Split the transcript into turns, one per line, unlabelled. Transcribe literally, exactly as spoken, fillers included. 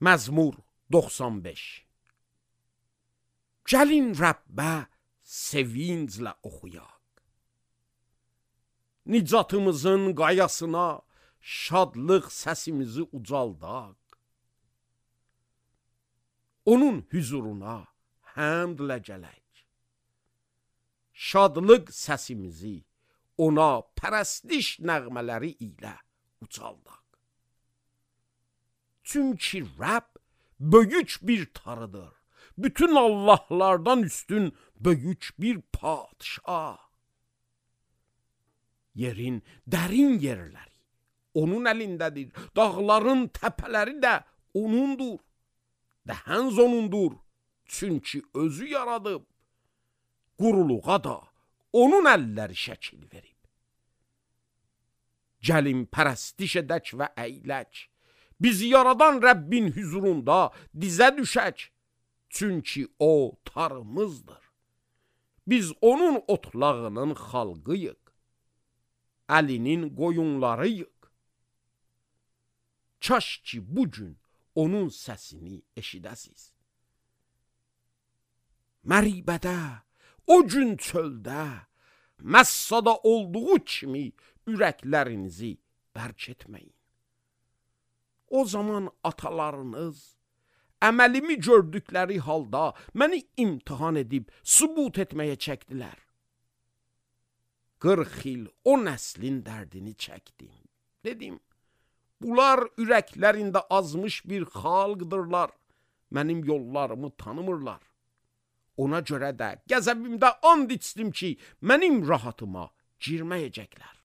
Məzmur doxsan beş. Gəlin Rəbbə sevinclə oxuyaq. Nicatımızın qayasına şadlıq səsimizi ucaldaq. Onun hüzuruna həmdlə gələk. Şadlıq səsimizi ona pərəstiş nəğmələri ilə ucaldaq. Çünki Rəbb böyük bir Tanrıdır. Bütün Allahlardan üstün böyük bir padişah. Yerin dərin yerləri onun əlindədir. Dağların təpələri də onundur. Dəhənz onundur. Çünki özü yaradıb. Quruluğa da onun əlləri şəkil verib. Gəlin pərəstiş edək və əylək. Bizi yaradan Rəbbin hüzurunda dizə düşək. Çünki o Tanrımızdır. Biz onun otlağının xalqıyıq. Əlinin qoyunlarıyıq. Kaş ki bugün onun səsini eşidəsiz. Məribədə, o gün çöldə, Məssada olduğu kimi ürəklərinizi bərk etməyin. O zaman atalarınız əməlimi gördükləri halda məni imtihan edib sübut etməyə çəkdilər. qırx il o nəslin dərdini çəkdim. Dedim, bunlar ürəklərində azmış bir xalqdırlar. Mənim yollarımı tanımırlar. Ona görə də qəzəbimdə and içdim ki, mənim rahatıma girməyəcəklər.